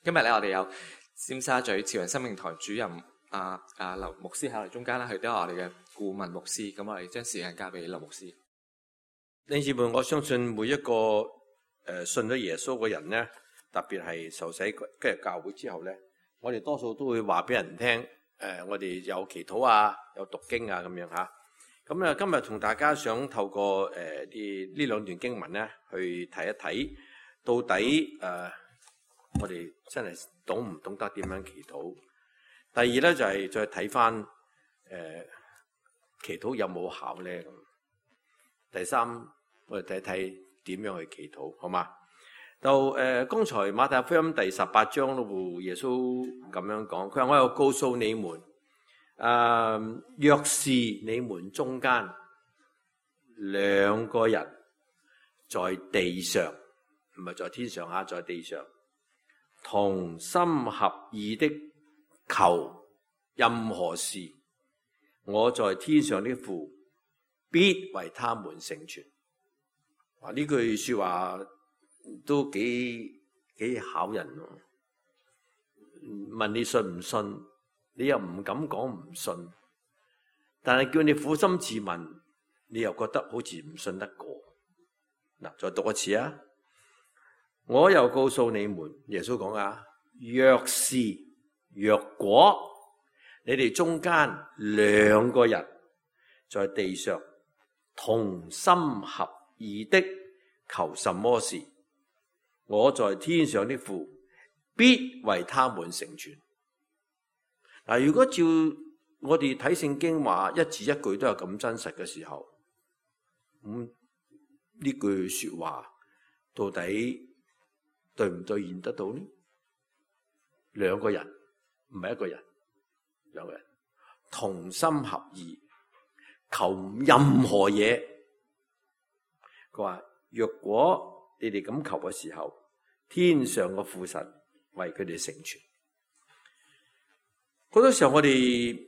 今日咧，我哋有尖沙咀慈雲生命堂主任劉牧師喺我哋中間啦，佢都係我哋嘅顧問牧師。咁我哋將時間交俾劉牧師。弟兄姊妹，我相信每一個信咗耶穌嘅人咧，特別係受洗跟住教會之後咧，我哋多數都會話俾人聽，我哋有祈禱啊，有讀經啊咁樣吓。咁啊，今日同大家想透過呢兩段經文咧，去睇一睇到底我哋真係懂唔懂得點樣祈禱。第二咧就係再睇翻祈禱有冇效咧咁。第三，我哋睇睇點樣去祈禱，好嘛？就剛才馬太福音第18章咯，耶穌咁樣講，佢話我又告訴你們，若是你們中間兩個人在地上，唔係在天上吓，在地上同心合意的求任何事，我在天上的父必為他們成全。哇！呢句說話都幾考人喎。問你信唔信，你又唔敢講唔信，但係叫你苦心自問，你又覺得好似唔信得過。嗱，再讀一次啊！我又告訴你們，耶穌講啊，若果你哋中間兩個人在地上同心合意的求什麼事，我在天上的父必為他們成全。嗱，如果照我哋睇聖經話一字一句都係咁真實嘅時候，咁呢句說話到底對唔兌現得到呢？兩個人唔係一個人，兩個人同心合意求任何嘢。佢話若果你哋咁求嘅時候，天上嘅父神為佢哋成全。好多時候我哋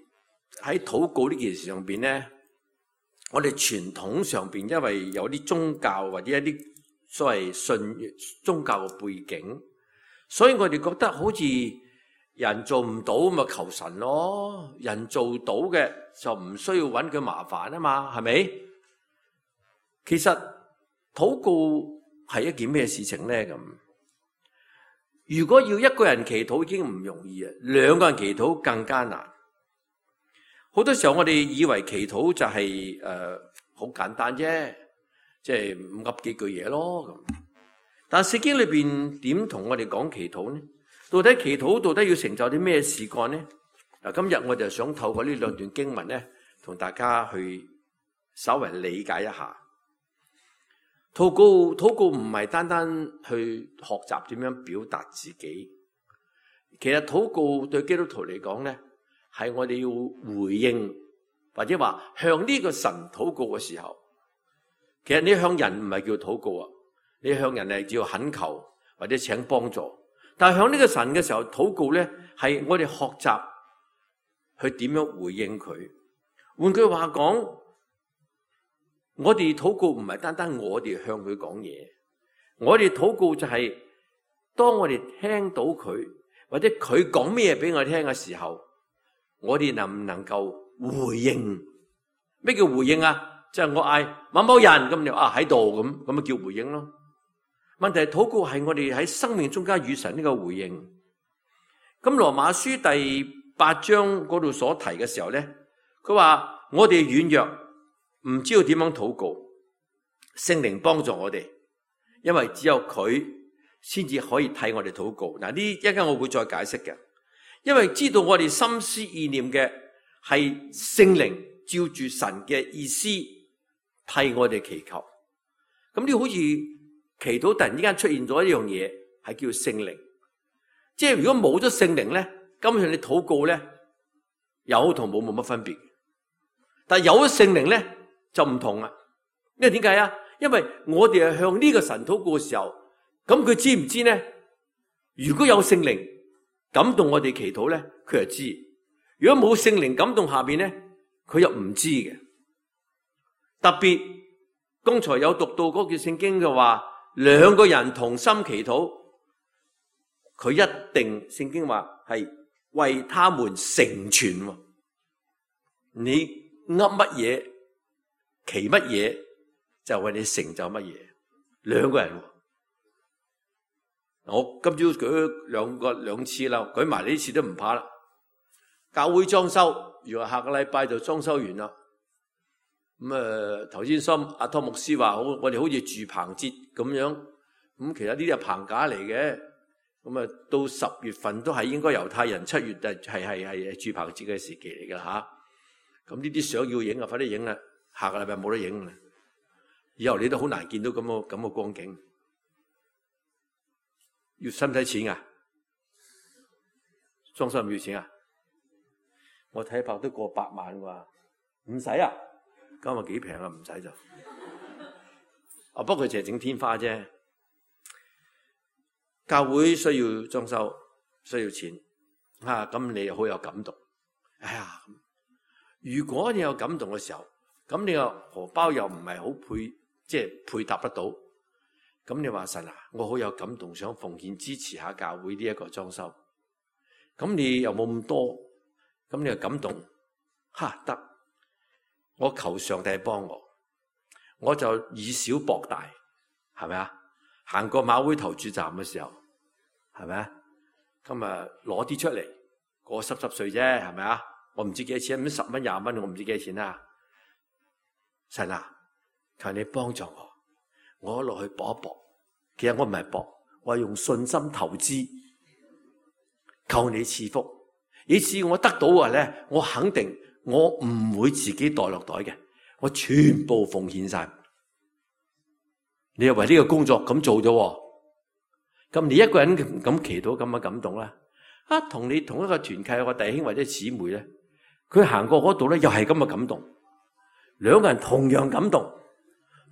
喺禱告呢件事上邊咧，我哋傳統上邊因為有啲宗教或者一啲所謂信宗教嘅背景，所以我哋覺得好似人做唔到咪求神咯，人做到嘅就唔需要揾佢麻煩啊嘛，係咪？其實禱告係一件咩事情咧？咁如果要一個人祈禱已經唔容易啊，兩個人祈禱更加難。好多時候我哋以為祈禱就係好簡單啫，即係噏幾句嘢咯咁。但聖經裏邊點同我哋講祈禱呢？到底祈禱到底要成就啲咩事幹呢？嗱，今日我就想透過呢兩段經文咧，同大家去稍微理解一下。禱告唔係單單去學習點樣表達自己，其實禱告對基督徒嚟講咧，係我哋要回應或者話向呢個神禱告嘅時候，其實你向人唔係叫禱告啊，你向人係叫懇求或者請幫助。但係向呢個神嘅時候禱告咧，係我哋學習去點樣回應佢。換句話講，我哋禱告唔係單單我哋向佢講嘢，我哋禱告就係當我哋聽到佢或者佢講咩俾我聽嘅時候，我哋能唔能夠回應？咩叫回應啊？即係我嗌某某人咁就喺度咁咪叫回應咯。問題係禱告係我哋喺生命中間與神呢個回應。咁羅馬書第8章嗰度所提嘅時候咧，佢話我哋軟弱，唔知道點樣禱告，聖靈幫助我哋，因為只有佢先至可以替我哋禱告。嗱，呢一陣間我會再解釋嘅，因為知道我哋心思意念嘅係聖靈照住神嘅意思替我哋祈求。咁呢好似祈禱突然之間出現咗一樣嘢，係叫聖靈。即係如果冇咗聖靈咧，根本上你禱告咧有同冇乜分別。但係有咗聖靈咧就唔同啦。因為點解啊？因為我哋係向呢個神禱告嘅時候，咁佢知唔知咧？如果有聖靈感動我哋祈禱咧，佢就知；如果冇聖靈感動下邊咧，佢又唔知嘅。特別剛才有讀到嗰句聖經嘅話，兩個人同心祈禱，佢一定聖經話係為他們成全。你噏乜嘢，祈乜嘢，就為你成就乜嘢。兩個人，我今朝舉兩次啦，舉埋呢次都唔怕啦。教會裝修，如果下個禮拜就裝修完啦。咁頭先阿湯牧師話我哋好似住棚節咁樣，咁其實呢啲係棚架嚟嘅。咁到10月份都係應該猶太人7月係住棚節嘅時期嚟㗎吓。咁呢啲相要影啊，快啲影啦！下個禮拜冇得影啦，以後你都好難見到咁嘅光景。使唔使錢啊？裝修唔要錢啊？我睇怕都過8萬啩，唔使啊？今日幾平啊？唔使就。不過佢淨係整天花啫。教會需要裝修，需要錢咁你又好有感動。哎呀，如果你有感動嘅時候，咁你個荷包又唔係好配搭得到，咁你話神啊，我好有感動，想奉獻支持下教會呢一個裝修。咁你又冇咁多，咁你又感動，得，我求上帝幫我就以小博大，係咪啊？行過馬會投注站嘅時候，係咪啊？咁攞啲出嚟，個濕碎啫，係咪啊？我唔知幾多錢，咁10蚊20蚊，我唔知幾多錢啦。神啊，求你幫助我落去搏一搏。其實我唔係搏，我係用信心投資，求你賜福。以至我得到嘅咧，我肯定我唔會自己袋落袋嘅，我全部奉獻晒。你又為呢個工作咁做咗，咁你一個人咁祈禱咁嘅感動啦。同你同一個團契有個弟兄或者姊妹咧，佢行過嗰度咧，又係咁嘅感動。兩個人同樣感動，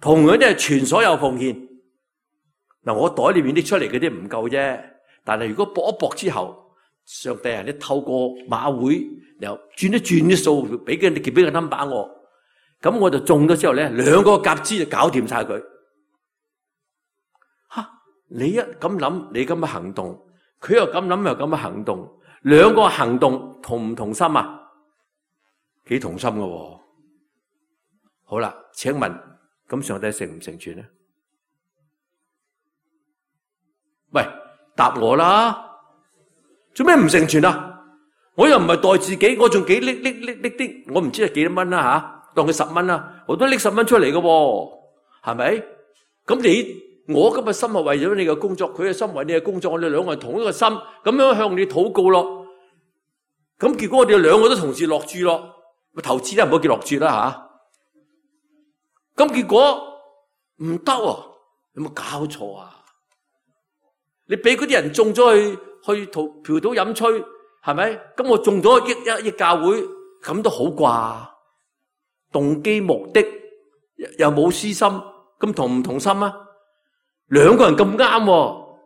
同樣都係全所有奉獻。嗱，我袋裏面拎出嚟嗰啲唔夠啫，但係如果搏一搏之後，上帝你透過馬會又轉一轉啲數，俾個 number 我，咁我就中咗之後咧，兩個夾資就搞掂晒佢。你一咁諗，你咁嘅行動，佢又咁諗又咁嘅行動，兩個行動同唔同心啊？幾同心㗎。好啦，請問咁上帝成唔成全呢？喂，答我啦，做咩唔成全啊？我又唔係代自己，我仲幾拎啲，我唔知係幾多蚊啦吓，當佢10蚊啦，我都拎10蚊出嚟㗎，係咪？咁我今日心係為咗你嘅工作，佢嘅心為你嘅工作，我哋兩個人同一個心，咁樣向你禱告咯。咁結果我哋兩個都同時落注咯，投資都唔好叫落注啦吓。咁結果唔得喎，有冇搞錯啊？你俾嗰啲人中咗去嫖賭飲吹，係咪？咁我中咗億教會，咁都好啩？動機目的又冇私心，咁同唔同心啊？兩個人咁啱，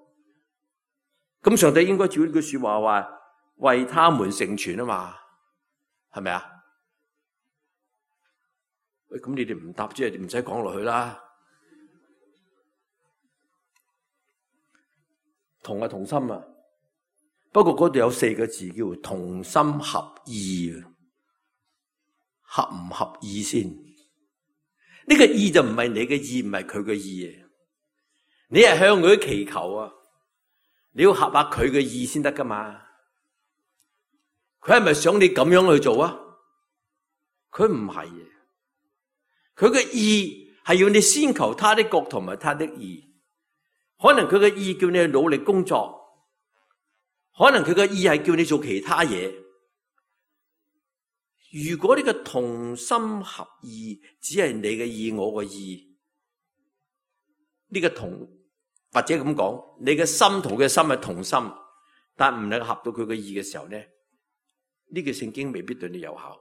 咁上帝應該照呢句說話為他們成全啊嘛，係咪啊？喂，咁你哋唔答即係唔使講落去啦。同係同心啊，不過嗰度有4個字叫同心合意，合唔合意先？呢個意就唔係你嘅意，唔係佢嘅意。你係向佢祈求啊，你要合下佢嘅意先得噶嘛？佢係咪想你咁樣去做啊？佢唔係，佢嘅意係要你先求他的國同埋他的義。可能佢嘅意叫你去努力工作，可能佢嘅意係叫你做其他嘢。如果呢個同心合意只係你嘅意，我嘅意，呢個同或者咁講，你嘅心同佢嘅心係同心，但唔能夠合到佢嘅意嘅時候咧，呢個聖經未必對你有效。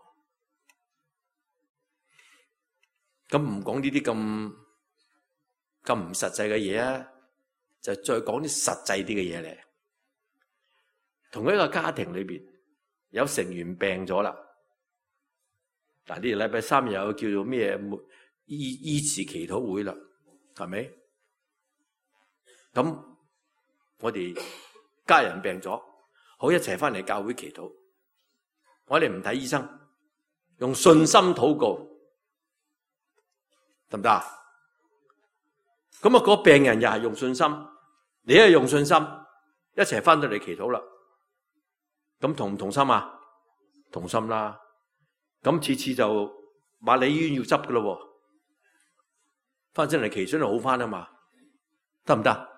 咁唔講呢啲咁唔實際嘅嘢啊，就再講啲實際啲嘅嘢嚟。同一個家庭裏邊有成員病咗啦，嗱，呢個禮拜3有叫做咩醫治祈禱會啦，係咪？咁我哋家人病咗，好一齊翻嚟教會祈禱。我哋唔睇醫生，用信心禱告，得唔得啊？咁啊，個病人又係用信心，你係用信心，一齊翻到嚟祈禱啦。咁同唔同心啊？同心啦。咁次次就話你醫院要執噶咯，翻上嚟祈禱就好翻啊嘛，得唔得？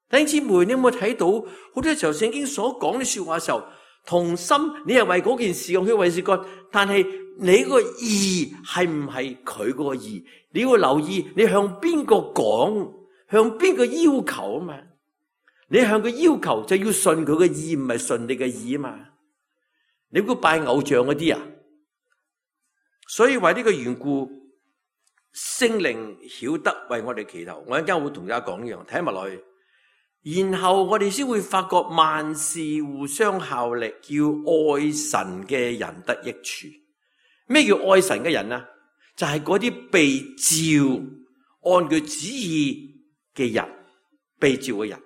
弟兄姊妹，你有冇睇到好多時候聖經所講啲說話嘅時候，同心，你係為嗰件事咁去為事幹，但係你個意係唔係佢個意？你要留意你向邊個講，向邊個要求啊嘛？你向佢要求就要順佢嘅意，唔係順你嘅意啊嘛？你估拜偶像嗰啲啊？所以為呢個緣故，聖靈曉得為我哋祈禱。我一陣間會同大家講呢樣，睇埋落去。然後我哋先會發覺萬事互相效力，叫愛神嘅人得益處。咩叫愛神嘅人啊？就係嗰啲被召按佢旨意嘅人，被召嘅人。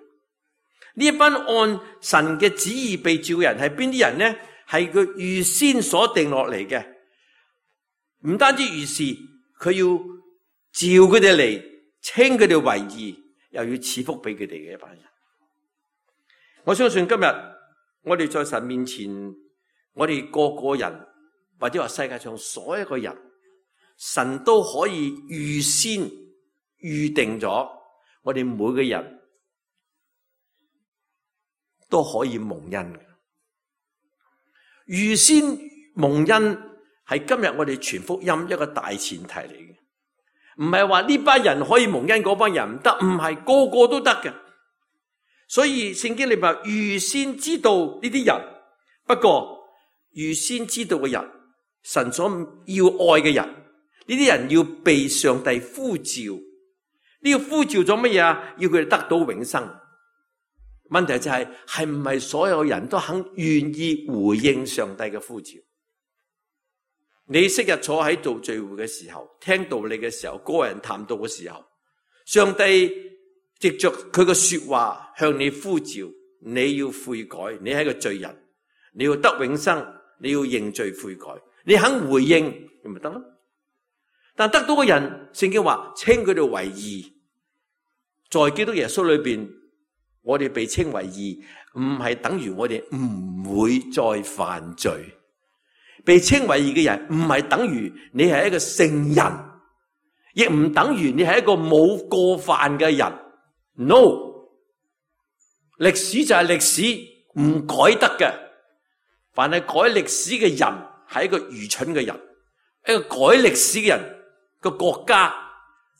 呢一班按神嘅旨意被召嘅人係邊啲人呢？係佢預先所定落嚟嘅。唔單止如是，佢要召佢哋嚟，稱佢哋為義，又要賜福俾佢哋嘅一班人。我相信今日我哋在神面前，我哋個個人或者話世界上所有嘅人，神都可以預先預定咗，我哋每個人都可以蒙恩嘅。預先蒙恩係今日我哋傳福音一個大前提嚟嘅，唔係話呢班人可以蒙恩，嗰班人唔得，唔係個個都得嘅。所以聖經裏面預先知道呢啲人，不過預先知道嘅人，神所要愛嘅人，呢啲人要被上帝呼召。呢個呼召咗乜嘢啊？要佢哋得到永生。問題就係唔係所有人都肯願意回應上帝嘅呼召？你昔日坐喺度聚會嘅時候，聽道理嘅時候，個人談道嘅時候，上帝藉着佢嘅說話向你呼召，你要悔改，你係一個罪人，你要得永生，你要認罪悔改，你肯回應，咁咪得咯。但得到嘅人，聖經話稱佢哋為義，在基督耶穌裏邊，我哋被稱為義，唔係等於我哋唔會再犯罪。被稱為義嘅人，唔係等於你係一個聖人，亦唔等於你係一個冇過犯嘅人。No， 歷史就係歷史，唔改得嘅。凡係改歷史嘅人，係一個愚蠢嘅人。一個改歷史嘅人，個國家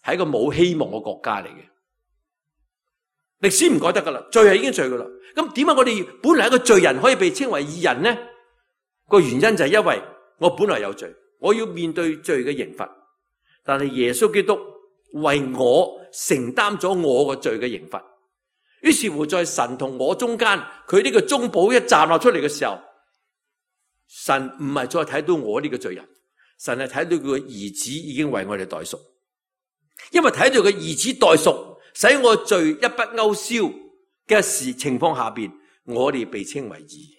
係一個冇希望嘅國家嚟嘅。歷史唔改得噶啦，罪係已經罪噶啦。咁點解我哋本來一個罪人可以被稱為義人呢？個原因就係因為我本來有罪，我要面對罪嘅刑罰，但係耶穌基督為我承擔咗我個罪嘅刑罰。於是乎在神同我中間，佢呢個中保一站立出嚟嘅時候，神唔係再睇到我呢個罪人，神係睇到佢嘅兒子已經為我哋代贖。因為睇到佢兒子代贖，使我罪一筆勾銷嘅情況下邊，我哋被稱為義。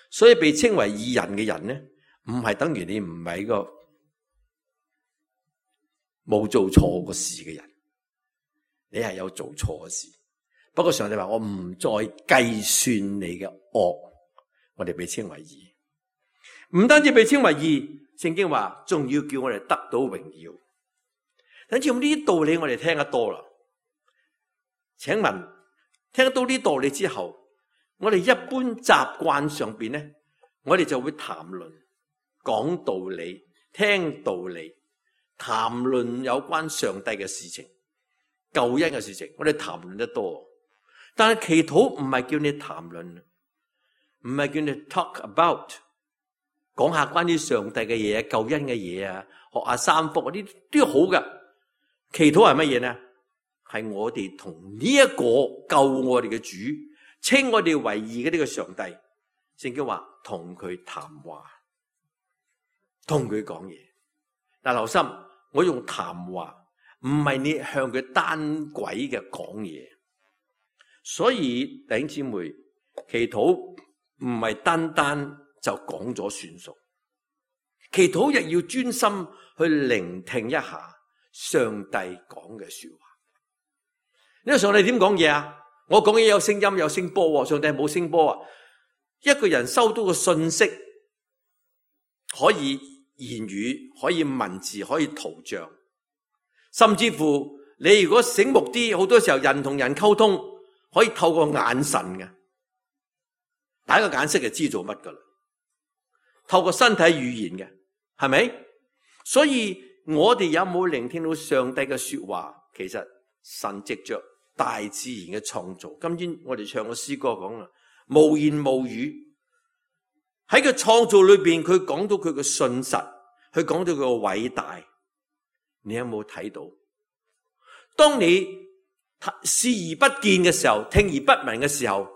所以被稱為義人嘅人呢，唔係等於你唔係個冇做錯過事嘅人，你係有做錯嘅事。不過上帝話我唔再計算你嘅惡，我哋被稱為義。唔單止被稱為義，聖經話仲要叫我哋得到榮耀。等住呢啲道理我哋聽得多啦。請問聽得到呢啲道理之後，我哋一般習慣上邊咧，我哋就會談論、講道理、聽道理、談論有關上帝嘅事情、救恩嘅事情，我哋談論得多。但係祈禱唔係叫你談論，唔係叫你 talk about， 講下關於上帝嘅嘢、救恩嘅嘢啊，學下三福嗰啲都好㗎。祈禱係乜嘢呢？係我哋同呢一個救我哋嘅主，稱我哋為義嘅呢個上帝，聖經話同佢談話，同佢講嘢。但留心，我用談話，唔係你向佢單軌嘅講嘢。所以弟兄姊妹，祈禱唔係單單就講咗算數，祈禱亦要專心去聆聽一下上帝講嘅說話。呢個上帝點講嘢啊？我講嘢有聲音有聲波，上帝冇聲波啊！一個人收到個信息，可以言語，可以文字，可以圖像，甚至乎你如果醒目啲，好多時候人同人溝通可以透過眼神嘅，打個眼色就知做乜噶啦。透過身體語言嘅，係咪？所以我哋有冇聆聽到上帝嘅說話？其實神藉着大自然嘅創造，今天我哋唱個詩歌講啦，無言無語，喺佢創造裏邊，佢講到佢嘅信實，佢講到佢嘅偉大。你有冇睇到？當你視而不見嘅時候，聽而不聞嘅時候，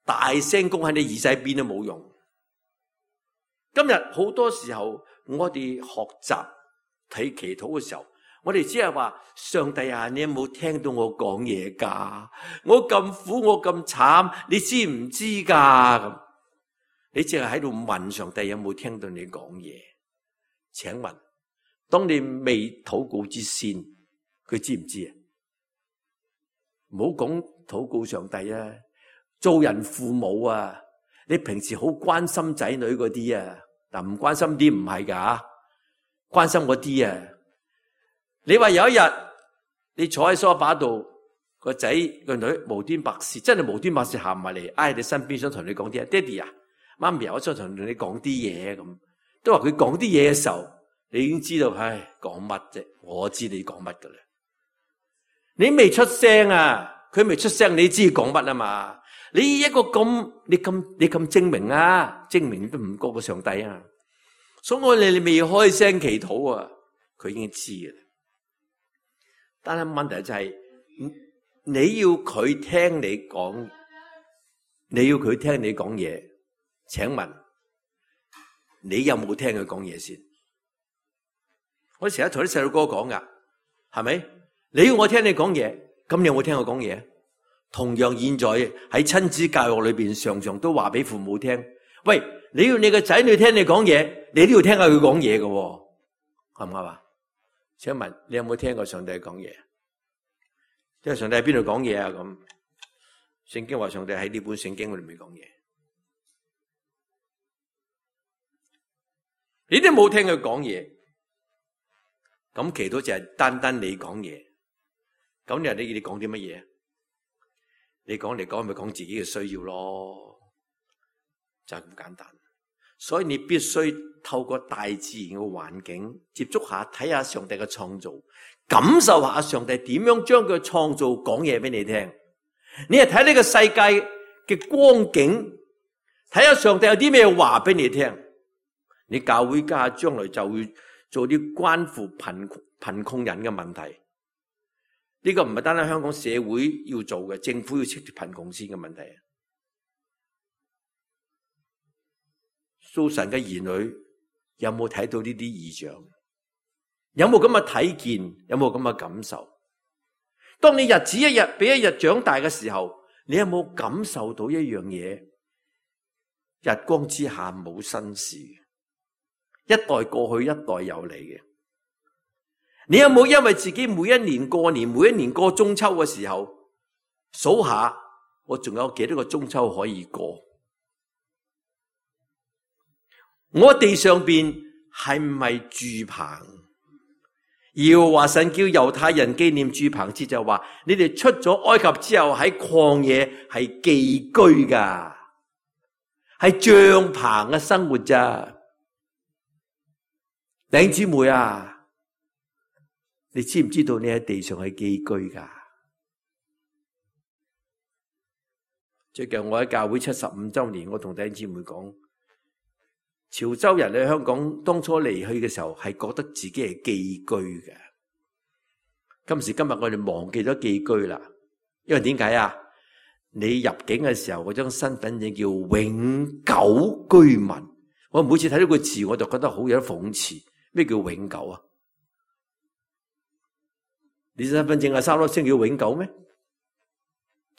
大聲公喺你耳仔邊都冇用。今日好多時候，我哋學習睇祈禱嘅時候，我哋只係話，上帝啊，你有冇聽到我講嘢㗎？我咁苦，我咁慘，你知唔知㗎？咁你淨係喺度問上帝有冇聽到你講嘢？請問，當你未禱告之先，佢知唔知啊？唔好講禱告上帝啊，做人父母啊，你平時好關心仔女嗰啲啊，但唔關心啲唔係㗎，關心嗰啲啊。你話有一日你坐喺梳化度，個仔個女無端白事，真係無端白事行埋嚟，挨你身邊想同你講啲啊，爹哋啊，媽咪啊，我想同你講啲嘢咁，都話佢講啲嘢嘅時候，你已經知道，唉，講乜啫？我知你講乜噶啦，你未出聲啊，佢未出聲，你知講乜啊嘛？你一個你咁精明啊，精明都唔過個上帝啊，所以我哋你未開聲祈禱啊，佢已經知嘅啦。但係問題就係，你要佢聽你講，你要佢聽你講嘢。請問你有冇聽佢講嘢先？我成日同啲細路哥講噶，係咪？你要我聽你講嘢，咁你有冇聽我講嘢？同樣現在喺親子教育裏邊，常常都話俾父母聽，喂，你要你個仔女聽你講嘢，你都要聽下佢講嘢嘅，啱唔啱啊？請問你有冇聽過上帝講嘢？即係上帝喺邊度講嘢啊？咁聖經話上帝喺呢本聖經裏面講嘢，你都冇聽佢講嘢，咁祈禱就係單單你講嘢。咁你講啲乜嘢？你講嚟講咪講自己嘅需要咯，就係咁簡單。所以你必須透過大自然嘅環境接觸下，睇下上帝嘅創造，感受下上帝點樣將佢創造講嘢俾你聽。你係睇呢個世界嘅光景，睇下上帝有啲咩話俾你聽。你教會家將來就會做啲關乎貧窮人嘅問題。呢個唔係單單香港社會要做嘅，政府要切脫貧窮線嘅問題。做神嘅兒女有冇睇到呢啲異象？有冇咁嘅睇見？有冇咁嘅感受？當你日子一日比一日長大嘅時候，你有冇感受到一樣嘢？日光之下冇新事，一代過去一代又嚟嘅。你有冇因為自己每一年過年，每一年過中秋嘅時候，數下我仲有幾多個中秋可以過？我地上邊係唔係住棚？耶和華神叫猶太人紀念住棚節，就話你哋出咗埃及之後喺曠野係寄居噶，係帳棚嘅生活咋。弟兄姊妹啊，你知唔知道你喺地上係寄居噶？最近我喺教會75周年，我同弟兄姊妹講，潮州人喺香港當初離去嘅時候，係覺得自己係寄居嘅。今時今日我哋忘記咗寄居啦，因為點解啊？你入境嘅時候嗰張身份證叫永久居民，我每次睇到個字我就覺得好有諷刺。咩叫永久啊？你身份證係3粒星叫永久咩？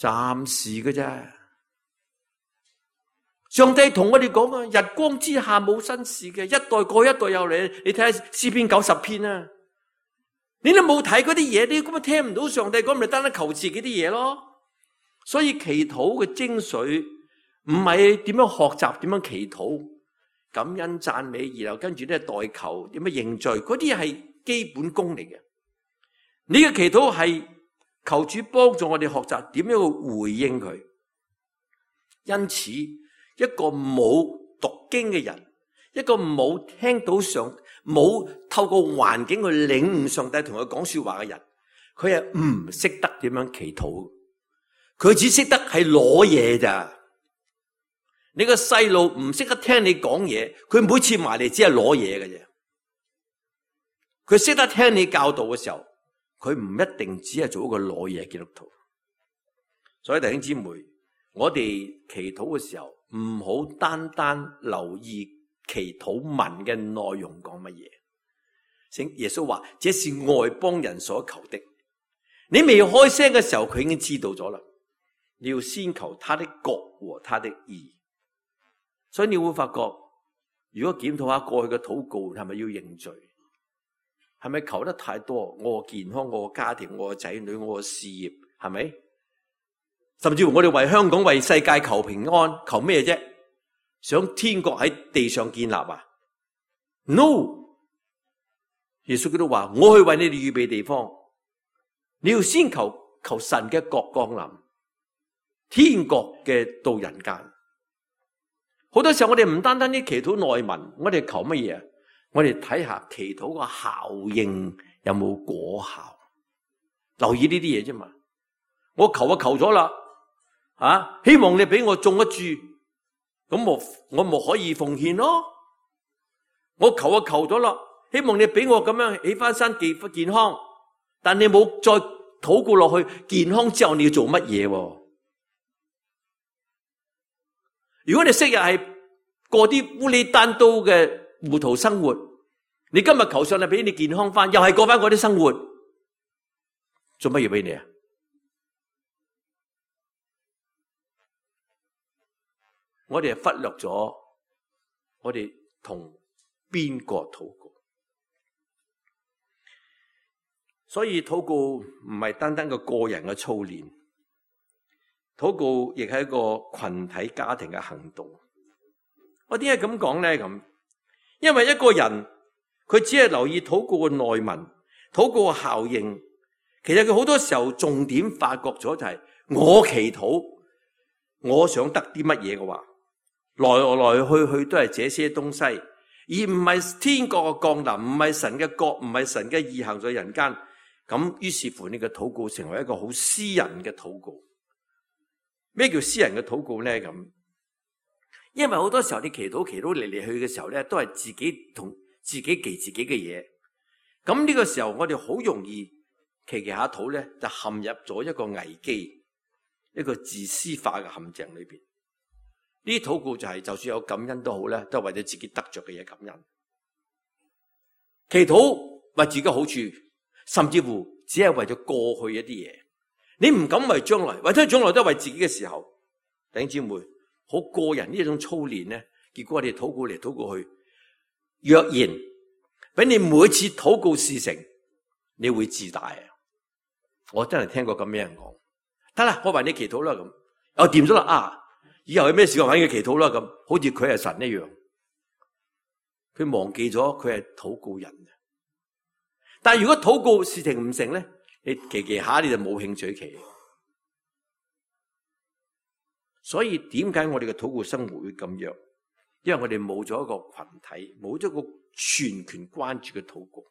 暫時嘅啫。上帝同我哋講啊，日光之下冇新事嘅，一代過一代又嚟。你睇下詩篇90篇啊，你都冇睇嗰啲嘢，你根本聽唔到上帝講，咪單單求自己啲嘢咯。所以祈禱嘅精髓唔係點樣學習，點樣祈禱，感恩讚美，然後跟住咧代求，點樣認罪，嗰啲係基本功嚟嘅。你嘅祈禱係求主幫助我哋學習點樣去回應佢。因此，一個冇讀經嘅人，一個冇聽到冇透過環境去領悟上帝同佢講說話嘅人，佢係唔識得點樣祈禱，佢只識得係攞嘢咋。你個細路唔識得聽你講嘢，佢每次埋嚟只係攞嘢嘅啫。佢識得聽你教導嘅時候，佢唔一定只係做一個攞嘢基督徒。所以弟兄姊妹，我哋祈禱嘅時候，唔好單單留意祈禱文嘅內容講乜嘢。耶穌話：這是外邦人所求的。你未開聲嘅時候，佢已經知道咗啦。你要先求他的國和他的義。所以你會發覺，如果檢討下過去嘅禱告，係咪要認罪？係咪求得太多？我嘅健康，我嘅家庭，我嘅仔女，我嘅事業，係咪？甚至乎我哋為香港、為世界求平安，求咩啫？想天國喺地上建立啊 ？No！ 耶穌基督話：我去為你哋預備地方。你要先求神嘅國降臨，天國嘅到人間。好多時候我哋唔單單啲祈禱內文，我哋求乜嘢？我哋睇下祈禱個效應有冇果效，留意呢啲嘢啫嘛。我求咗啦，希望你俾我種一株，咁我咪可以奉獻咯。我求咗啦，希望你俾我咁樣起翻身健康，但你冇再禱告落去，健康之後你要做乜嘢？如果你昔日係過啲烏里單刀嘅糊塗生活，你今日求上帝俾你健康翻，又係過翻嗰啲生活，做乜嘢俾你啊？我哋係忽略咗我哋同邊個禱告，所以禱告唔係單單個人嘅操練，禱告亦係一個群體家庭嘅行動。我點解咁講咧？咁，因為一個人佢只係留意禱告嘅內文、禱告嘅效應，其實佢好多時候重點發覺咗就係我祈禱，我想得啲乜嘢嘅話，來去都係這些東西，而唔係天國嘅降臨，唔係神嘅國，唔係神嘅義行在人間。咁於是乎，呢個禱告成為一個好私人嘅禱告。咩叫私人嘅禱告咧？咁，因為好多時候你祈禱嚟嚟去嘅時候咧，都係自己同自己記自己嘅嘢。咁呢個時候我哋好容易祈下禱咧，就陷入咗一個危機，一個自私化嘅陷阱裏邊。呢啲禱告就係就算有感恩都好咧，都係為咗自己得着嘅嘢感恩。祈禱為自己好處，甚至乎只係為咗過去一啲嘢。你唔敢為將來，為咗將來都係為自己嘅時候，弟兄姊妹，好個人呢一種操練咧，結果我哋禱告嚟禱告去，若然俾你每次禱告事成，你會自大啊！我真係聽過咁樣人講，得啦，我為你祈禱啦咁，我掂咗啦啊！以後有咩事我揾佢祈禱啦咁，好似佢係神一樣，佢忘記咗佢係禱告人。但係如果禱告事情唔成咧，你祈下你就冇興趣祈。所以點解我哋嘅禱告生活會咁弱？因為我哋冇咗一個群體，冇咗個全權關注嘅禱告。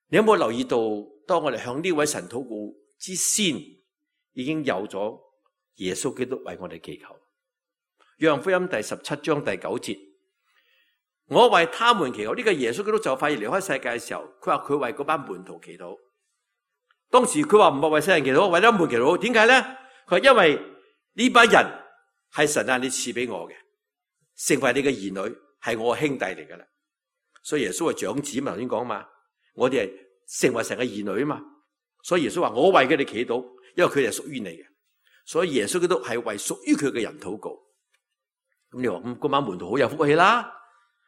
你有冇留意到，當我哋向呢位神禱告之先，已經有咗耶穌基督為我哋祈求。約翰福音第17章第9節，我為他們祈禱。呢個耶穌基督就快要離開世界嘅時候，佢話佢為嗰班門徒祈禱。當時佢話唔係為世人祈禱，為咗門徒祈禱。點解咧？佢話因為呢班人係神啊，你賜俾我嘅，成為你嘅兒女，係我嘅兄弟嚟噶啦。所以耶穌係長子嘛，頭先講嘛，我哋係成為神嘅兒女啊嘛。所以耶穌話我為佢哋祈禱，因為佢哋係屬於你嘅。所以耶穌基督係為屬於佢嘅人禱告。咁你話咁嗰晚門徒好有福氣啦，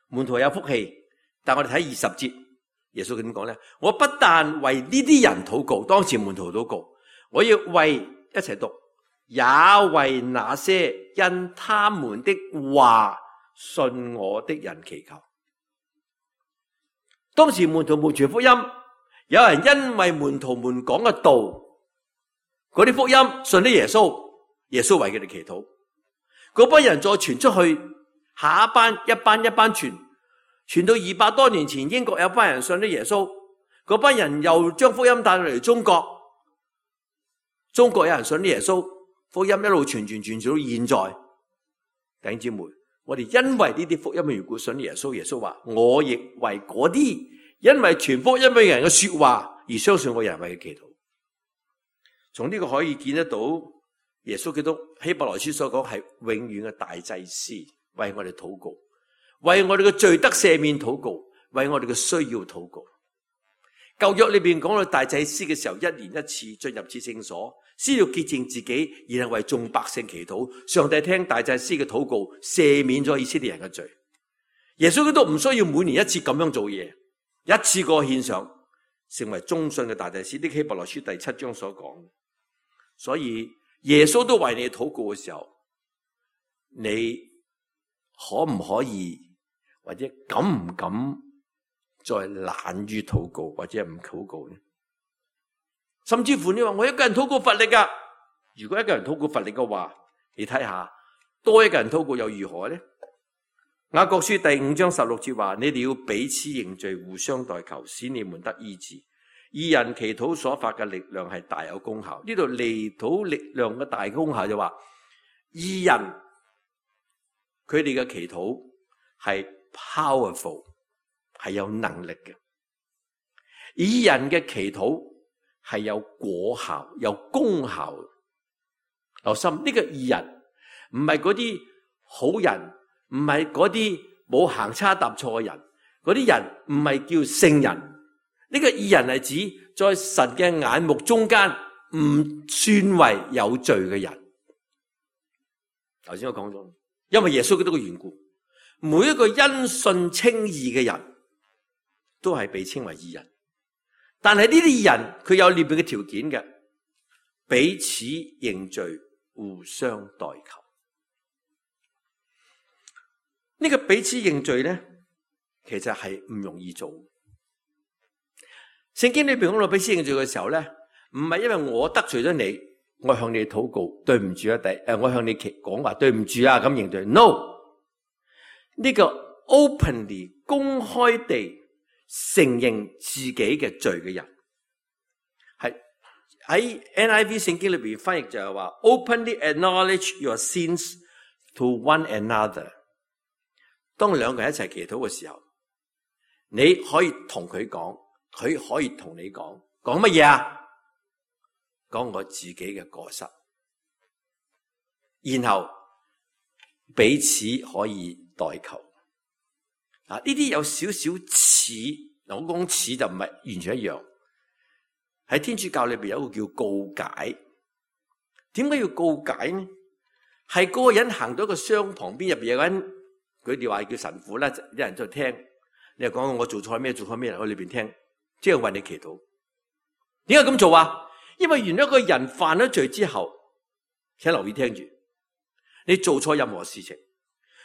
門徒有福氣。但我哋睇20節，耶穌點講咧？我不但為呢啲人禱告，當時門徒禱告，我要為一齊讀，也為那些因他們的話信我的人祈求。當時門徒們傳福音，有人因為門徒們講嘅道，嗰啲福音信咗耶穌，耶穌為佢哋祈禱。嗰班人再傳出去，下一班一班傳到200多年前，英國有班人信咗耶穌，嗰班人又將福音帶到嚟中國，中國有人信咗耶穌，福音一路傳到現在。弟兄姊妹，我哋因為呢啲福音嘅緣故信耶穌，耶穌話我亦為嗰啲因為傳福音嘅人嘅說話而相信我嘅人為佢祈禱。從呢個可以見得到，耶穌基督希伯來書所講係永遠嘅大祭司，為我哋禱告，為我哋嘅罪得赦免禱告，為我哋嘅需要禱告。舊約裏邊講到大祭司嘅時候，1年1次進入至聖所，先要潔淨自己，然後為眾百姓祈禱。上帝聽大祭司嘅禱告，赦免咗以色列人嘅罪。耶穌基督唔需要每年1次咁樣做嘢，一次過獻上，成為忠信嘅大祭司。呢希伯來書第7章所講。所以耶穌都為你禱告嘅時候，你可唔可以或者敢唔敢再懶於禱告，或者唔禱告呢？甚至乎你話我一個人禱告乏力噶，如果一個人禱告乏力嘅話，你睇下多一個人禱告又如何呢？雅各書第5章16節話：你哋要彼此認罪，互相代求，使你們得醫治。義人祈禱所發嘅力量係大有功效。呢度祈禱力量嘅大功效就話，義人佢哋嘅祈禱係 powerful， 係有能力嘅。義人嘅祈禱係有果效、有功效。留心，呢個義人唔係嗰啲好人，唔係嗰啲冇行差踏錯嘅人，嗰啲人唔係叫聖人。呢個義人係指在神嘅眼目中間唔算為有罪嘅人。頭先我講咗，因為耶穌基督嘅緣故，每一個因信稱義嘅人都係被稱為義人。但係呢啲義人佢有裏邊嘅條件嘅，彼此認罪，互相代求。呢個彼此認罪咧，其實係唔容易做。聖經裏邊講到彼此認罪嘅時候咧，唔係因為我得罪咗你，我向你禱告，對唔住啊，我向你講話對唔住啊，咁認罪。No， 呢個 openly 公開地承認自己嘅罪嘅人，係喺 NIV 聖經裏邊翻譯就係話 openly acknowledge your sins to one another。當兩個人一齊祈禱嘅時候，你可以同佢講，佢可以同你講乜嘢啊？講我自己嘅過失，然後彼此可以代求。呢啲有少少似，我講似就唔係完全一樣。喺天主教裏邊有一個叫告解。點解要告解呢？係嗰個人行到一個箱旁邊，入邊有個人，佢哋話叫神父啦，有人在聽。你又講我做錯咩？做錯咩？喺裏邊聽，即係為你祈禱。點解咁做啊？因為原來一個人犯咗罪之後，請留意聽住，你做錯任何事情，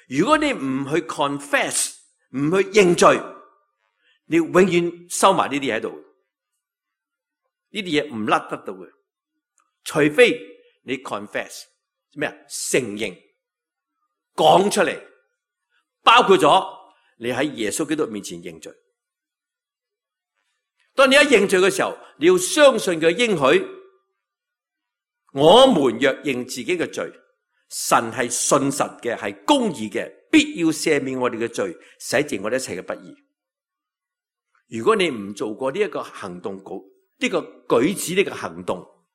如果你唔去 confess， 唔去認罪，你永遠收埋呢啲嘢喺度，呢啲嘢唔甩得到嘅，除非你 confess 咩啊？承認，講出嚟，包括咗你喺耶穌基督面前認罪。當你一認罪嘅時候，你要相信佢應許，我們若認自己嘅罪，神係信實嘅，係公義嘅，必要赦免我哋嘅罪，洗淨我哋一切嘅不義。如果你唔做過呢一個行動，呢個舉止，呢個行動，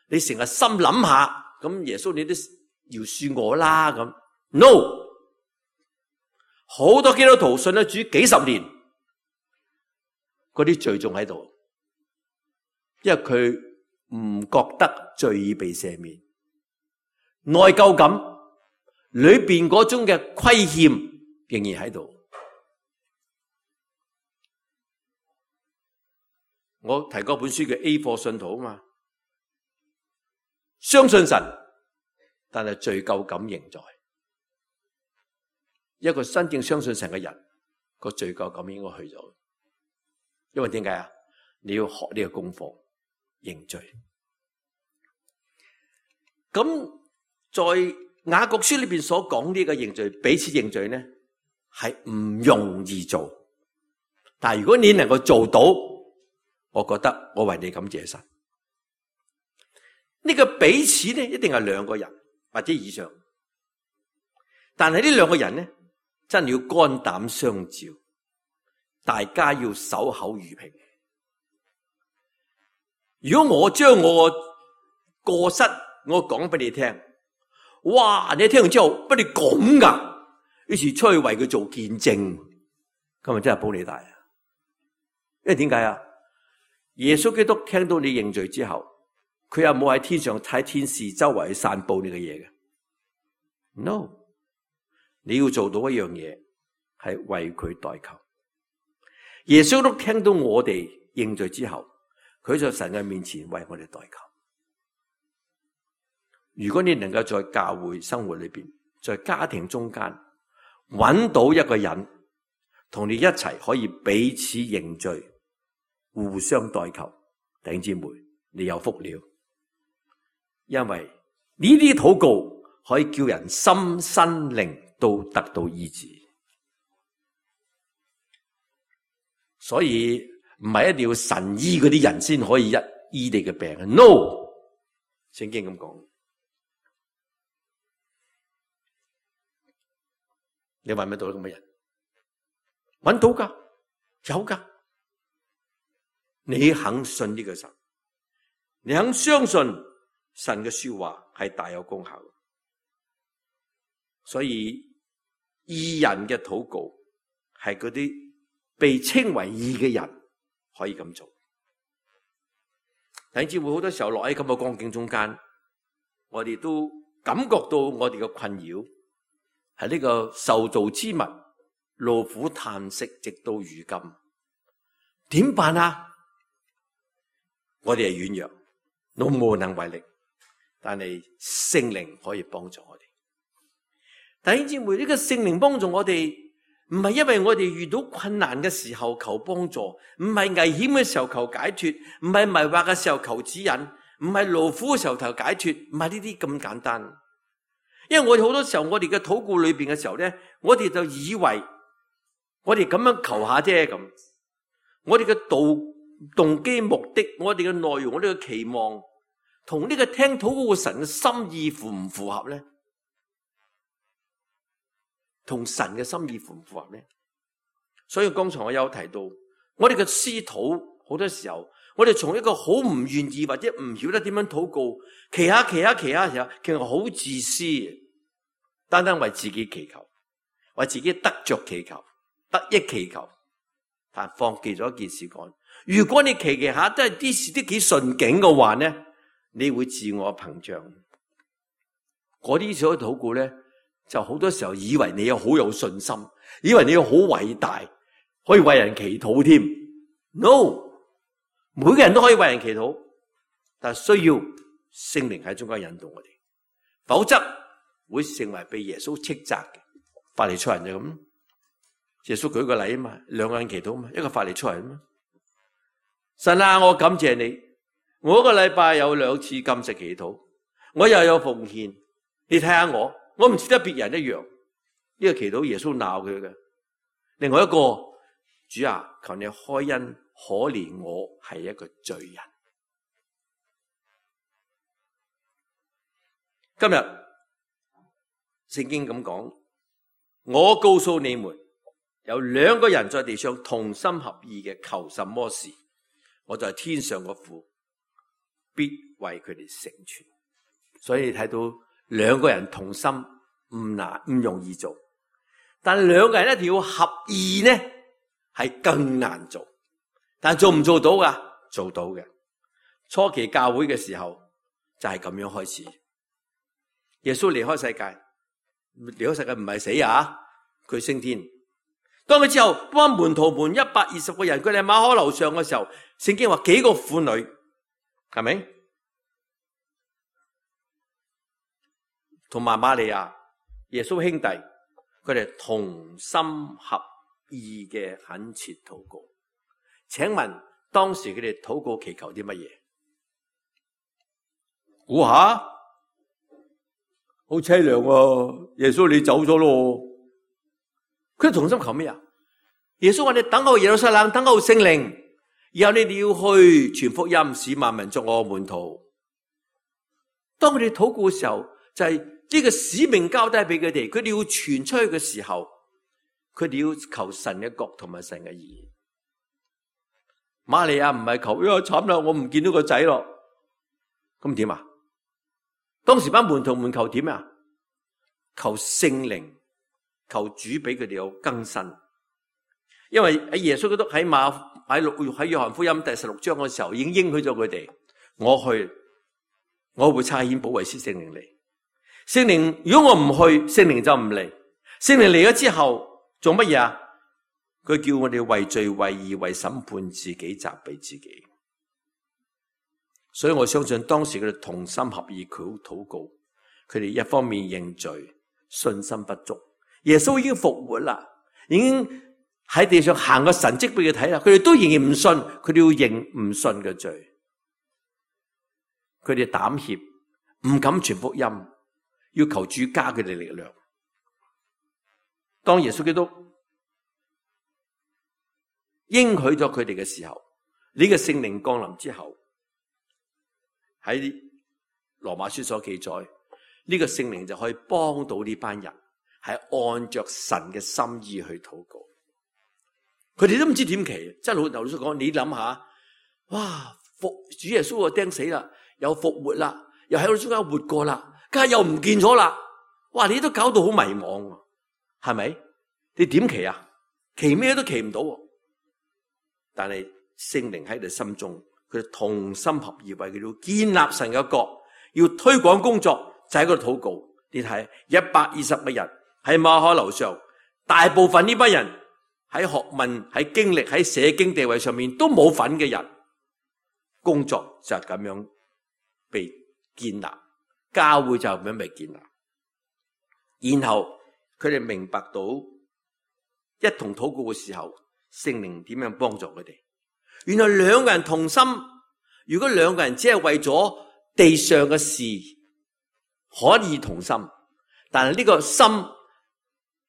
你成日心諗下，咁耶穌你都饒恕我啦咁。No， 好多基督徒信咗主幾十年，嗰啲罪仲喺度，因為佢唔覺得罪已被赦免，內疚感，裏邊嗰種嘅虧欠仍然喺度。我提過本書叫 A 貨信徒啊嘛，相信神，但係罪疚感仍在。一個真正相信神嘅人，個罪疚感應該去咗。因為點解啊？你要學呢個功課，認罪。咁在雅各書裏邊所講呢個認罪，彼此認罪呢，係唔容易做。但係如果你能夠做到，我覺得我為你感謝神。呢個彼此呢，一定係兩個人或者以上。但係呢兩個人呢，真係要肝膽相照，大家要守口如瓶。如果我將我過失我講俾你聽，哇！你聽完之後，不你咁噶，於是出去為佢做見證，今日真係保你大啊！因為點解啊？耶穌基督聽到你認罪之後，佢又冇喺天上睇天使周圍去散布呢個嘢嘅。No， 你要做到一樣嘢，係為佢代求。耶穌基督聽到我哋認罪之後，佢在神嘅面前為我哋代求。如果你能夠在教會生活裏邊，在家庭中間揾到一個人同你一齊可以彼此認罪，互相代求，弟兄姊妹，你有福了。因為呢啲禱告可以叫人心身靈都得到醫治。所以唔係一定要神醫嗰啲人先可以醫你嘅病。No， 聖經咁講。你揾唔到咁嘅人？揾到噶，有噶。你肯信呢個神，你肯相信神嘅說話係大有功效的。所以義人嘅禱告係嗰啲被稱為義嘅人可以咁做。弟兄姊妹，好多時候落喺咁嘅光景中間，我哋都感覺到我哋嘅困擾。係呢個受造之物，勞苦嘆息，直到如今，點辦啊？我哋係軟弱，都無能為力，但係聖靈可以幫助我哋。弟兄姊妹，呢個聖靈幫助我哋，唔係因為我哋遇到困難嘅時候求幫助，唔係危險嘅時候求解脫，唔係迷惑嘅時候求指引，唔係勞苦嘅時候求解脫，唔係呢啲咁簡單。因為我哋好多時候，我哋嘅禱告裏邊嘅時候咧，我哋就以為我哋咁樣求下啫咁。我哋嘅動機目的，我哋嘅內容，我哋嘅期望，同呢個聽禱告神嘅心意符唔符合咧？同神嘅心意符唔符合咧？所以剛才我有提到，我哋嘅私禱好多時候，我哋從一個好唔願意或者唔曉得點樣禱告，祈下，其實好自私。單單為自己祈求，為自己得着祈求，得益祈求，但放棄咗一件事講。如果你祈下都係啲事都幾順境嘅話呢，你會自我膨脹。嗰啲所謂禱告咧，就好多時候以為你好有信心，以為你好偉大，可以為人祈禱添。No， 每個人都可以為人祈禱，但係需要聖靈喺中間引導我哋，否則會成為被耶穌斥責嘅法利賽人就咁。耶穌舉個例啊嘛，兩個人祈禱嘛，一個法利賽人嘛。神啊，我感謝你，我一個禮拜有2次禁食祈禱，我又有奉獻。你睇下我唔似得別人一樣。呢個祈禱耶穌鬧佢嘅。另外一個，主啊，求你開恩可憐我係一個罪人。今日聖經咁講，我告訴你們，有2個人在地上同心合意嘅求什麼事，我在天上嘅父必為佢哋成全。所以你睇到2個人同心唔容易做，但2個人一定要合意呢，係更難做。但做唔做到噶？做到嘅。初期教會嘅時候就係咁樣開始。耶穌離開世界唔係死啊，佢升天。當佢之後，班門徒們120個人，佢哋喺馬可樓上嘅時候，聖經話幾個婦女，係咪？同埋瑪利亞，耶穌兄弟，佢哋同心合意嘅懇切禱告。請問當時佢哋禱告祈求啲乜嘢？估下，好凄涼啊！耶穌你走咗咯，佢哋同心求咩啊？耶穌話你等候耶路撒冷，等候聖靈，然後你哋要去傳福音，使萬民作我門徒。當佢哋禱告嘅時候，就係呢個使命交低俾佢哋，佢哋要傳出去嘅時候，佢哋要求神嘅國同埋神嘅義。瑪利亞唔係求，慘啦，我唔見到個仔咯，咁點啊？當時班門徒們求點啊？求聖靈，求主俾佢哋有更新。因為喺耶穌基督喺約翰福音第16章嘅時候，已經應許咗佢哋，我會差遣保惠師聖靈嚟。聖靈如果我唔去，聖靈就唔嚟。聖靈嚟咗之後做乜嘢啊？佢叫我哋為罪、為義、為審判自己，責備自己。所以我相信當時佢哋同心合意禱告，佢哋一方面認罪，信心不足。耶穌已經復活啦，已經喺地上行個神蹟俾佢睇啦，佢哋都仍然唔信，佢哋要認唔信嘅罪。佢哋膽怯，唔敢傳福音，要求主加佢哋力量。當耶穌基督應許咗佢哋嘅時候，呢個聖靈降臨之後，喺羅馬書所記載，呢個聖靈就可以幫到呢班人，係按着神嘅心意去禱告。佢哋都唔知點祈，即係老實講，你諗下，哇！主耶穌就釘死啦，又復活啦，又喺我中間活過啦，家又唔見咗啦，哇！你都搞到好迷惘，係咪？你點祈啊？祈咩都祈唔到。但係聖靈喺佢哋心中，佢哋同心合意為佢哋建立神嘅國，要推廣工作，就喺嗰度禱告。你睇120個人喺馬可樓上，大部分呢班人喺學問、喺經歷、喺社經地位上面都冇份嘅人，工作就係咁樣被建立，教會就咁樣被建立。然後佢哋明白到一同禱告嘅時候，聖靈點樣幫助佢哋？原來兩個人同心，如果兩個人只係為咗地上嘅事可以同心，但係呢個心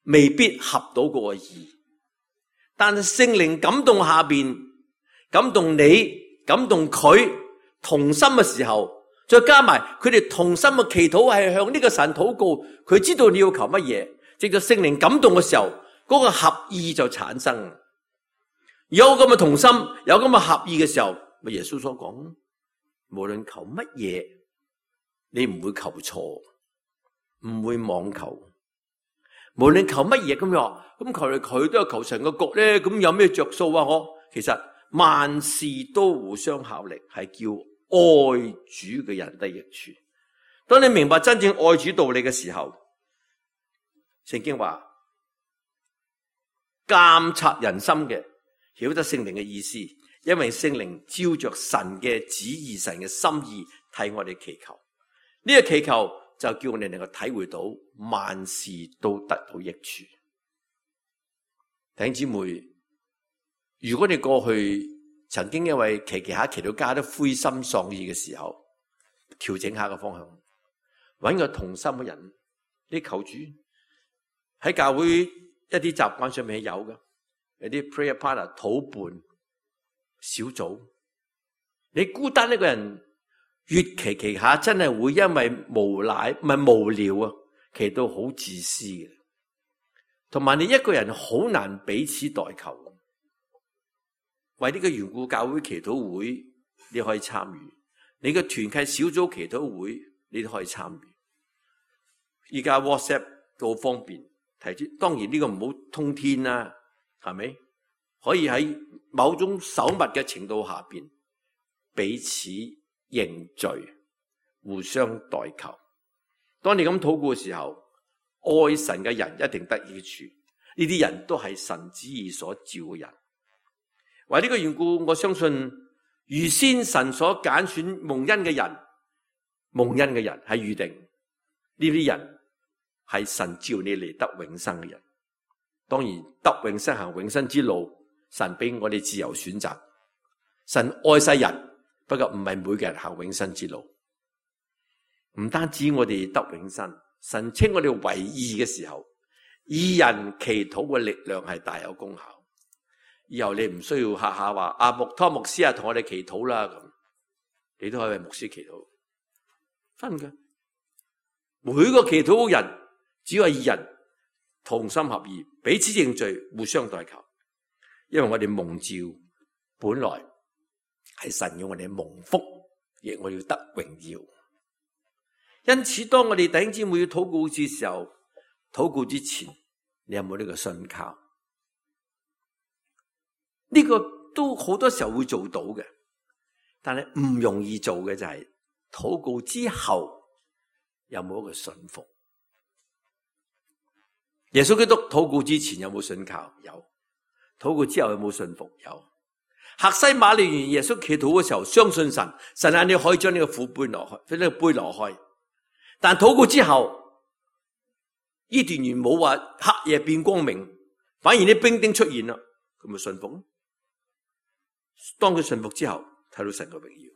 未必合到嗰個意。但係聖靈感動下邊，感動你，感動佢同心嘅時候，再加埋佢哋同心嘅祈禱係向呢個神禱告，佢知道你要求乜嘢，直到聖靈感動嘅時候，嗰個合意就產生。有咁嘅同心，有咁嘅合意嘅時候，咪耶穌所講，無論求乜嘢，你唔會求錯，唔會妄求。無論求乜嘢咁樣，咁求嚟佢都係求神嘅國咧，咁有咩着數啊？其實萬事都互相效力，係叫愛主嘅人得益處。當你明白真正愛主道理嘅時候，聖經話監察人心嘅，曉得聖靈嘅意思，因為聖靈照着神嘅旨意、神嘅心意替我哋祈求。呢個祈求就叫我哋能夠體會到萬事都得到益處。弟兄姊妹，如果你過去曾經因為祈下祈到家都灰心喪意嘅時候，調整下個方向，揾個同心嘅人，你求主喺教會一啲習慣上面係有嘅。有啲 prayer partner 禱伴小組，你孤單一個人越祈下，真係會因為無聊啊，祈到好自私嘅。同埋你一個人好難彼此代求，為呢個緣故，教會祈禱會你可以參與，你嘅團契小組祈禱會你都可以參與。而家 WhatsApp 都好方便，提出當然呢個唔好通天啦。係咪可以喺某種守密嘅程度下邊彼此認罪，互相代求？當你咁禱告嘅時候，愛神嘅人一定得益處。呢啲人都係神旨意所召嘅人。為呢個緣故，我相信預先神所揀選蒙恩嘅人，係預定呢啲人係神召你嚟得永生嘅人。當然得永生行永生之路，神俾我哋自由選擇。神愛世人，不過唔係每個人行永生之路。唔單止我哋得永生，神稱我哋為義嘅時候，義人祈禱嘅力量係大有功效。以後你唔需要下下話阿湯牧師啊，同我哋祈禱啦，咁你都可以為牧師祈禱。真嘅，每個祈禱嘅人只要係義人，同心合意，彼此認罪，互相代求。因為我哋蒙召本來係神要我哋蒙福，亦我要得榮耀。因此當我哋弟兄姊妹要禱告嘅時候，禱告之前你有冇呢個信靠？呢個都好多時候會做到嘅，但係唔容易做嘅就係禱告之後有冇一個信服。耶穌基督禱告之前有冇信靠？有。禱告之後有冇信服？有。客西馬尼園耶穌祈禱嘅時候，相信神，神啊，你可以將呢個苦杯挪開，將呢個杯挪開。但禱告之後，伊甸園冇話黑夜變光明，反而啲兵丁出現啦，佢咪信服咯？當佢信服之後，睇到神嘅榮耀。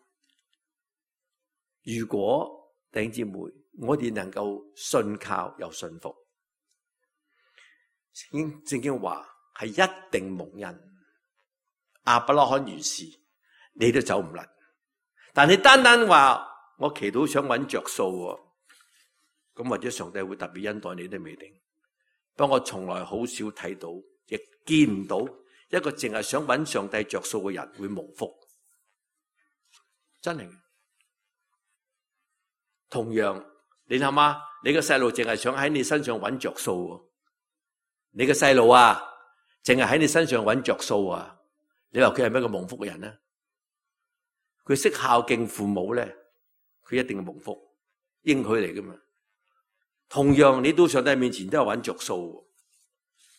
如果弟兄姊妹，我哋能夠信靠又信服，聖經話係一定蒙恩。亞伯拉罕如是，你都走唔甩。但你單單話我祈禱想揾着數，咁或者上帝會特別恩待你都未定。不過我從來好少睇到，亦見唔到一個淨係想揾上帝着數嘅人會蒙福。真係。同樣，你諗下，你個細路淨係想喺你身上揾着數，你個細路啊，淨係喺你身上揾着數啊，你話佢係咩個蒙福嘅人呢？佢識孝敬父母咧，佢一定係蒙福，應許嚟噶嘛。同樣，你到上帝面前都係揾着數。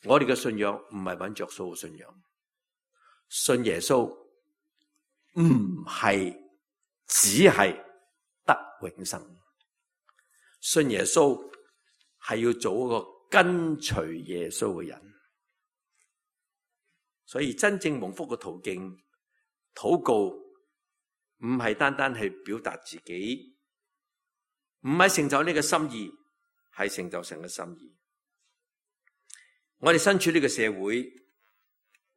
我哋嘅信仰唔係揾着數嘅信仰，信耶穌唔係只係得永生，信耶穌係要做一個跟隨耶穌嘅人。所以真正蒙福嘅途徑，禱告唔係單單係表達自己，唔係成就呢個心意，係成就神嘅心意。我哋身處呢個社會，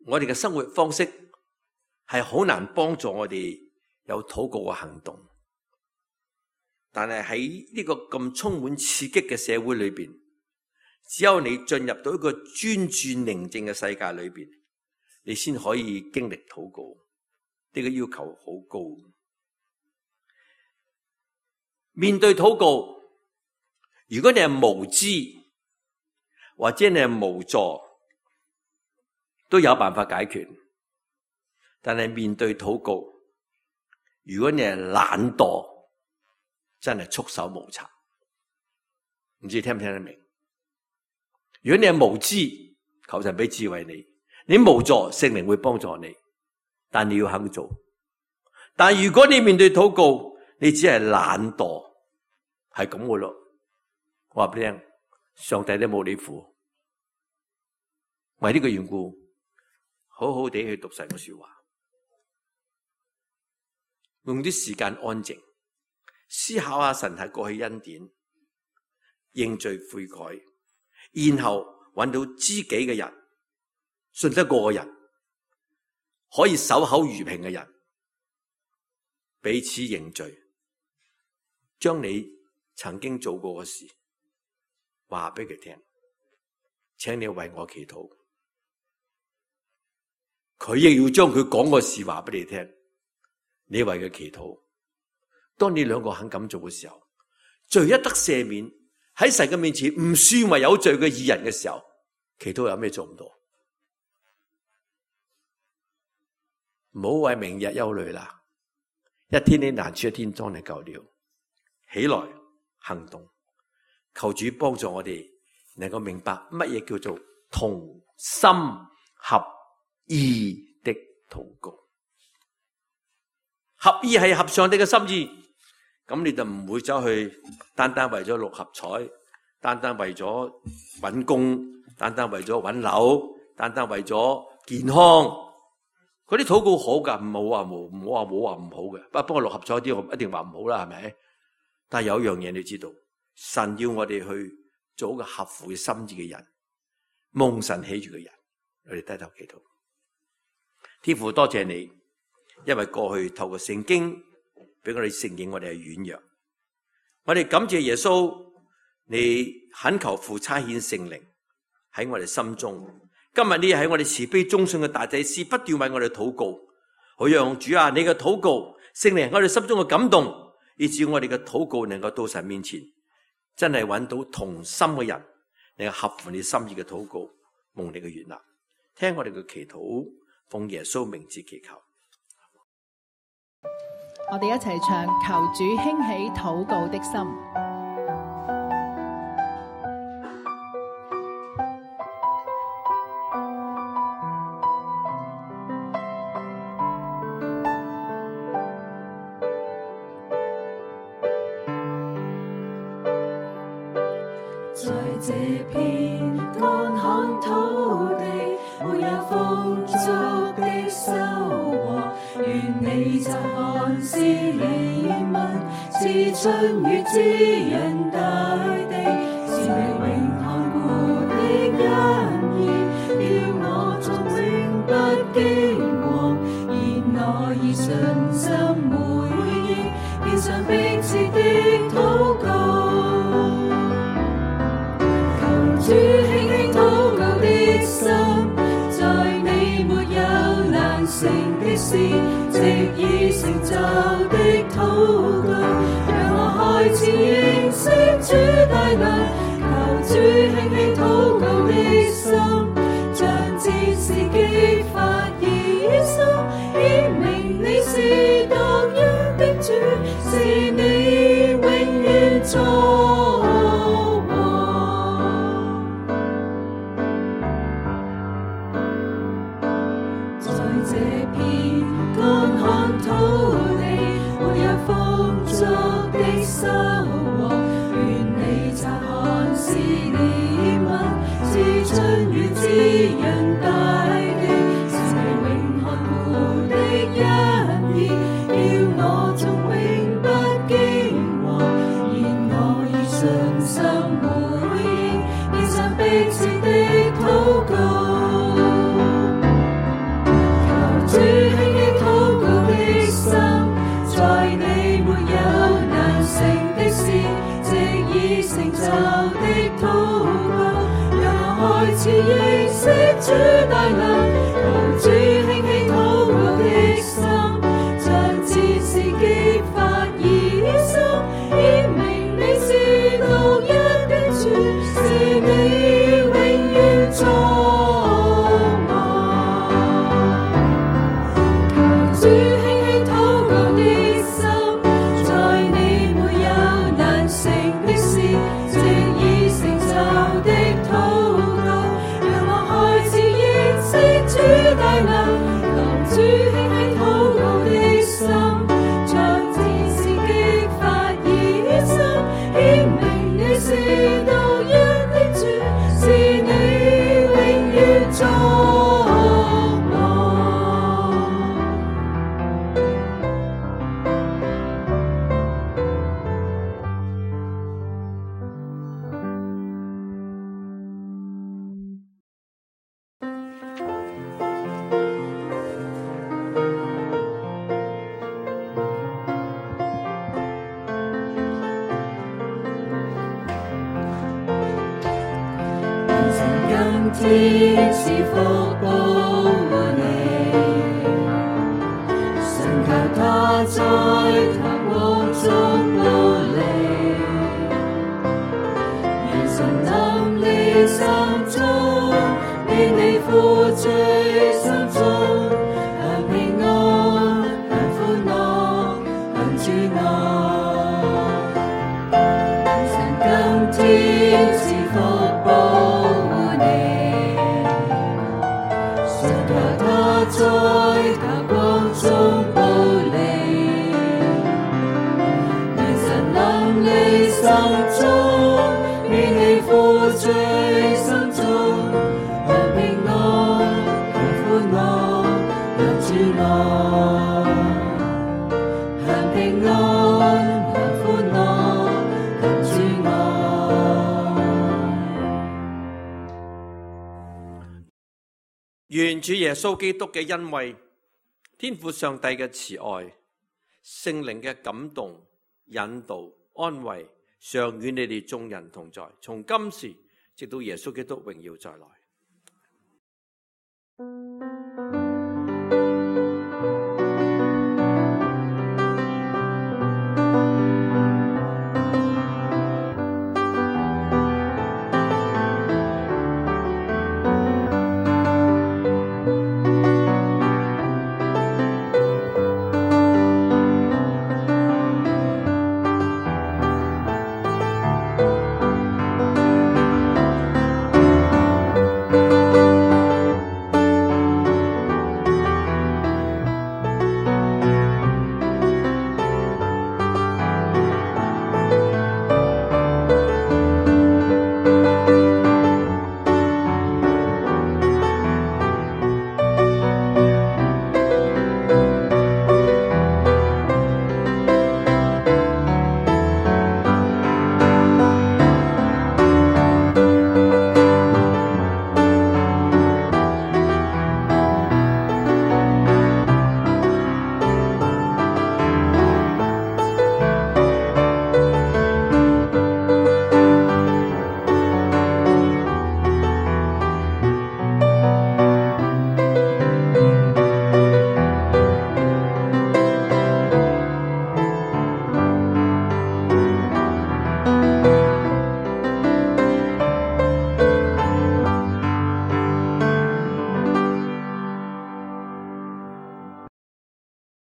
我哋嘅生活方式係好難幫助我哋有禱告嘅行動。但係喺呢個咁充滿刺激嘅社會裏邊，只有你進入到一個專注寧靜嘅世界裏邊，你先可以經歷禱告。呢個要求好高。面對禱告，如果你係無知或者你係無助，都有辦法解決。但係面對禱告，如果你係懶惰，真係束手無策。唔知聽唔聽得明？如果你係無知，求神俾智慧你；你無助，聖靈會幫助你。但你要肯做。但如果你面對禱告，你只係懶惰，係咁嘅咯。我話俾你聽，上帝都冇你符。為呢個緣故，好好地去讀神嘅說話，用啲時間安靜，思考下神係過去恩典，認罪悔改，然後揾到知己嘅人，信得過嘅人，可以守口如瓶嘅人，彼此認罪，將你曾經做過嘅事話俾佢聽，請你為我祈禱。佢亦要將佢講個事話俾你聽，你為佢祈禱。當你兩個肯咁做嘅時候，罪一得赦免，喺神嘅面前唔算為有罪嘅義人嘅時候，祈禱有咩做唔到？唔好為明日憂慮啦，一天的難處一天當你夠了。起來行動，求主幫助我哋能夠明白乜嘢叫做同心合意的禱告。合意係合上帝嘅心意，咁你就唔會走去單單為咗六合彩，單單為咗搵工，單單為咗搵樓，單單為咗健康。嗰啲禱告好噶，唔好話冇話唔好嘅。不過六合彩啲我一定話唔好啦，係咪？但係有一樣嘢你知道，神要我哋去做一個合乎嘅心意嘅人，蒙神喜悅嘅人。我哋低頭祈禱。天父多謝你，因為過去透過聖經俾我哋承認我哋係軟弱，我哋感謝耶穌，你懇求父差遣聖靈喺我哋心中。今日呢喺我哋慈悲忠信嘅大祭司不斷為我哋禱告，好讓主啊，你嘅禱告聖靈我哋心中嘅感動，以致我哋嘅禱告能夠到神面前，真係揾到同心嘅人，能夠合乎你心意嘅禱告，蒙你嘅悅納。聽我哋嘅祈禱，奉耶穌名字祈求。我哋一齊唱求主興起禱告的心。在這片乾旱土地，沒有豐足的收穫，願你察看施憐憫，賜春雨滋潤大地，是你永看顧的恩義，叫我作永不驚惶，然我以信心回應，獻上迫切的禱告。主興起禱告的心，在你沒有難成的事，藉已成就的禱告，讓我開始認識主大能。求主興起禱告的心，像戰士激發熱心，顯明你是獨一的主，是你永遠作。收穫，願你察看施憐憫，賜春雨滋潤大地，是你永看顧的恩義，叫我從永不驚惶，然我以信心回應，獻上迫切的禱告。求主興起禱告的心，在你沒有成的事，藉已成就的禱告，讓我開始認識主大能。求主興起禱告的心，像戰士激發熱心，顯明你是獨一的主，是你永遠作王。求主興起禱告的心，在你沒有難成的事，藉已成就的禱告，讓我開始認識主大能。求主興起禱告的心，像戰士激發熱心，顯明你是獨一的主，是你永遠作王。天賜福保護你，神求他在他光中保你，願神臨你心中，免你負罪心中，享平安，享歡樂，享主愛。神今天願主耶穌基督嘅恩惠、天父上帝嘅慈愛、聖靈嘅感動、引導、安慰，常與你哋眾人同在，從今時直到耶穌基督榮耀再來。